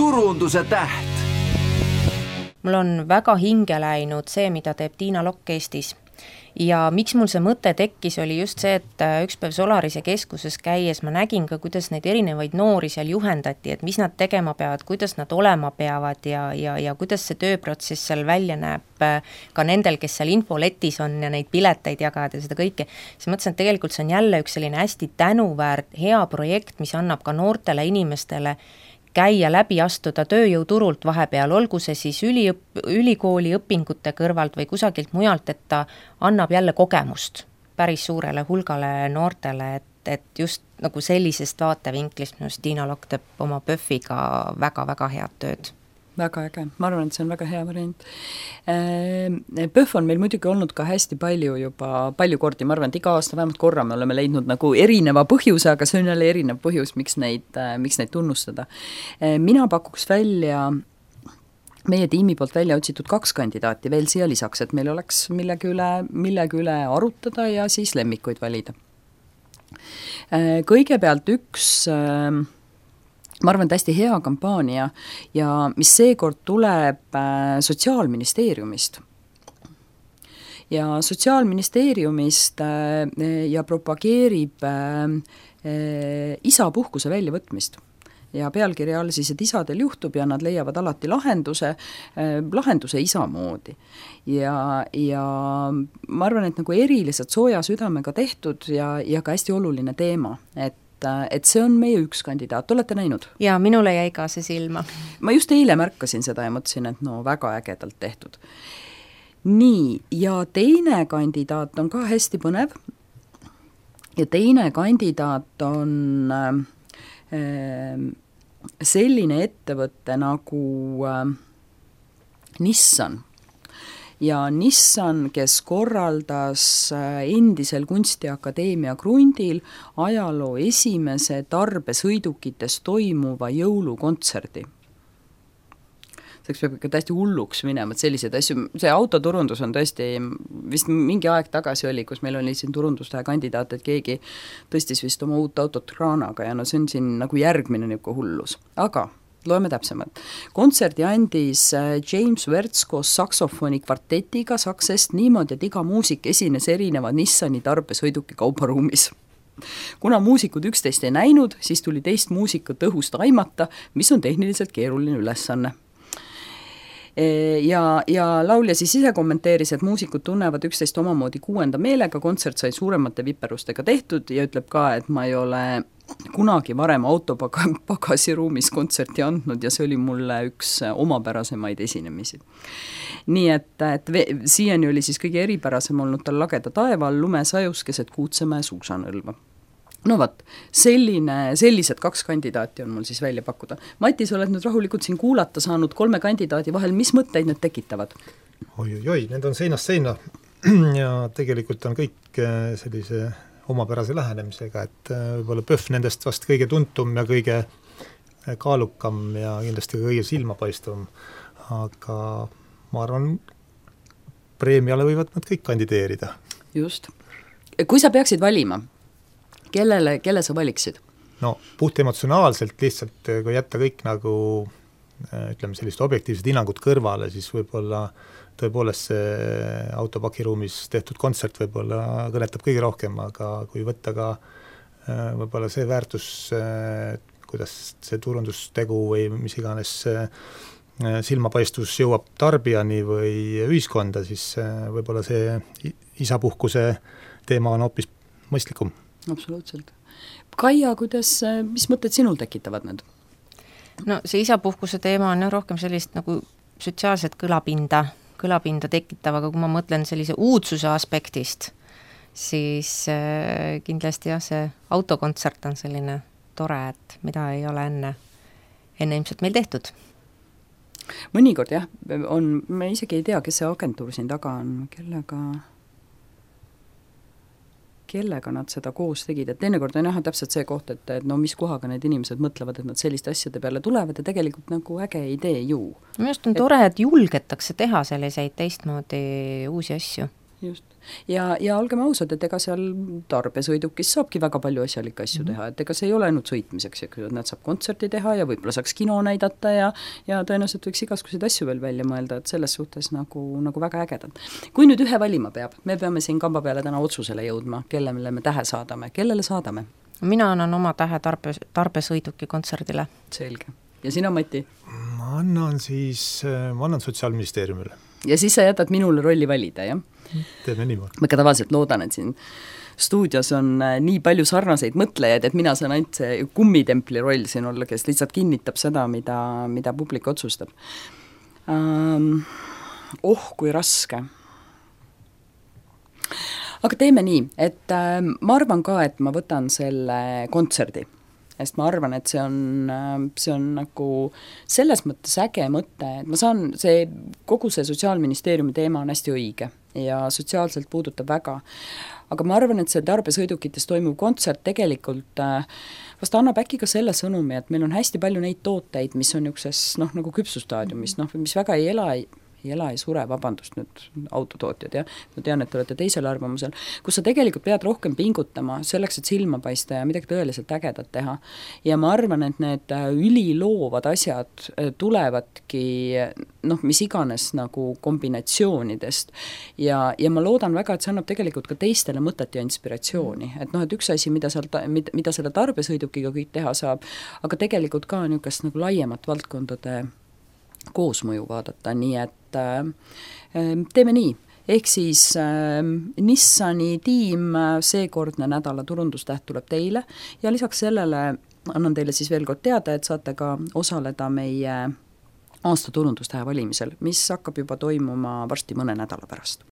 turunduse täht. Mul on väga hinge läinud see, mida teeb Tiina Lokk Eestis. Ja miks mul see mõte tekkis, oli just see, et üks päev Solarise keskuses käies ma nägin ka, kuidas neid erinevaid noori seal juhendati, et mis nad tegema peavad, kuidas nad olema peavad ja kuidas see tööprotsess seal välja näeb ka nendel, kes seal infoletis on ja neid pileteid jagavad ja seda kõike. Siis mõtlesin, et tegelikult see on jälle üks selline hästi tänuväärt, hea projekt, mis annab ka noortele inimestele käia läbi astuda tööjõuturult vahepeal, olgu see siis ülikooli õpingute kõrvalt või kusagilt mujalt, et ta annab jälle kogemust päris suurele hulgale noortele, et just nagu sellisest vaatevinklist minust Tiina Lokk teeb oma PÖFFiga väga-väga head tööd. Väga äge, ma arvan, et see on väga hea variant. PÖFF on meil muidugi olnud ka hästi palju kordi, ma arvan, et iga aasta vähemalt korra me oleme leidnud nagu erineva põhjuse, aga see on jälle erinev põhjus, miks neid tunnustada. Mina pakuks välja meie tiimi poolt välja otsitud 2 kandidaati veel siia lisaks, et meil oleks millegi üle arutada ja siis lemmikuid valida. Kõigepealt üks ma arvan, et hästi hea kampaania ja mis seekord tuleb Sotsiaalministeeriumist. Ja Sotsiaalministeeriumist ja propageerib isapuhkuse väljavõtmist. Ja pealkirja all siis, et isadel juhtub ja nad leiavad alati lahenduse isa moodi. Ja ma arvan, et nagu eriliselt sooja südamega tehtud ja ka hästi oluline teema, et see on meie üks kandidaat, olete näinud? Ja minule jäi ka see silma. Ma just eile märkasin seda ja mõtlesin, et no väga ägedalt tehtud. Nii, ja teine kandidaat on ka hästi põnev ja teine kandidaat on selline ettevõte nagu Nissan. Ja Nissan, kes korraldas endisel Kunstiakadeemia Grundil ajaloo esimese tarbesõidukites toimuva jõulukontserdi. See peab ikka täiesti hulluks minema, et sellised asju, see autoturundus on tõesti, vist mingi aeg tagasi oli, kus meil oli siin turundustähe kandidaat, et keegi tõstis vist oma uut autot kraanaga ja no see on siin nagu järgmine niuke hullus. Aga loeme täpsemalt. Kontserdi andis James Wertz koos saksofoni kvartetiga Saksest niimoodi, et iga muusik esines erineva Nissani tarbesõiduki kaubaruumis. Kuna muusikud üksteist ei näinud, siis tuli teist muusikut õhust aimata, mis on tehniliselt keeruline ülesanne. Ja laulja siis ise kommenteeris, et muusikud tunnevad üksteist omamoodi 6. meelega, kontsert sai suuremate viperustega tehtud ja ütleb ka, et ma ei ole kunagi varem autopagasiruumis kontserti andnud ja see oli mulle üks omapärasemaid esinemisi. Nii et siiani oli siis kõige eripärasem olnud tal lageda taeva all lumesajus keset Kuutsemäe suusanõlva. No võt, sellised 2 kandidaati on mul siis välja pakkuda. Matis, oled nüüd rahulikult siin kuulata saanud 3 kandidaadi vahel, mis mõtteid need tekitavad? Oi, need on seinast seina ja tegelikult on kõik sellise omapärase lähenemisega, et võib-olla PÖFF nendest vast kõige tuntum ja kõige kaalukam ja kindlasti kõige silmapaistvam, aga ma arvan, preemiale võivad nad kõik kandideerida. Just. Kui sa peaksid valima, kelle sa valiksid? No puht emotsionaalselt lihtsalt, kui jätta kõik nagu, ütleme, sellist objektiivsed hinnangud kõrvale, siis võib-olla tõepoolest see autopakiruumis tehtud kontsert võib-olla kõnetab kõige rohkem, aga kui võtta ka võib-olla see väärtus, kuidas see turundustegu või mis iganes silmapaistus jõuab tarbijani või ühiskonda, siis võib-olla see isapuhkuse teema on hoopis mõistlikum. Absoluutselt. Kaia, mis mõtted sinul tekitavad need? No see isapuhkuse teema on rohkem sellist nagu sotsiaalset kõlapinda tekitav, aga kui ma mõtlen sellise uudsuse aspektist, siis kindlasti see autokontsert on selline tore, et mida ei ole enne ilmselt meil tehtud. Mõnikord jah, me isegi ei tea, kes see agentuur siin taga on, kellega nad seda koos tegid, et teinekord on jah täpselt see koht, et no mis kohaga need inimesed mõtlevad, et nad selliste asjade peale tulevad ja tegelikult nagu äge idee ju. Minu arust on tore, et julgetakse teha selliseid teistmoodi uusi asju. just. Ja olgem ausad, et ega seal tarbesõidukis saabki väga palju asjalikke asju teha, et ega see ei ole ainult sõitmiseks, et nad saab kontserti teha ja võib-olla saaks kino näidata ja tõenäoliselt võiks igasuguseid asju veel välja mõelda, et selles suhtes nagu väga ägedad. Kui nüüd ühe valima peab, me peame siin kamba peale täna otsusele jõudma, kellele me tähe saadame, kellele saadame? Mina annan oma tähe tarbesõiduki kontserdile. Selge. Ja sina, Mati? Ma annan Sotsiaalministeeriumile. Ja siis sa jätad minule rolli valida, jah? Teeme niimoodi. Ma ka tavaliselt loodan, et siin stuudios on nii palju sarnaseid mõtlejaid, et mina saan ainult see kummitempli roll siin olla, kes lihtsalt kinnitab seda, mida publik otsustab. Kui raske. Aga teeme nii, et ma arvan ka, et ma võtan selle kontserdi, sest ma arvan, et see on nagu selles mõttes äge mõte, et ma saan, kogu see Sotsiaalministeeriumi teema on hästi õige ja sotsiaalselt puudutab väga, aga ma arvan, et see tarbesõidukites toimuv kontsert tegelikult vast annab äkki ka selle sõnumi, et meil on hästi palju neid tooteid, mis on niisuguses nagu küpsustaadiumis, mis väga ei ela ei sure, vabandust nüüd autotootjad, jah, ma tean, et te olete teisel arvamusel, kus sa tegelikult pead rohkem pingutama selleks, et silma paista ja midagi tõeliselt ägedat teha. Ja ma arvan, et need üliloovad asjad tulevadki mis iganes nagu kombinatsioonidest ja ma loodan väga, et see annab tegelikult ka teistele mõtet ja inspiratsiooni, et et üks asi, mida selle tarbesõidukiga kõik teha saab, aga tegelikult ka niisugust nagu laiemat valdkondade koosmõju vaadata, nii et teeme nii, ehk siis Nissani tiim seekordne nädala turundustäht tuleb teile ja lisaks sellele annan teile siis veel kord teada, et saate ka osaleda meie aasta turundustähe valimisel, mis hakkab juba toimuma varsti mõne nädala pärast.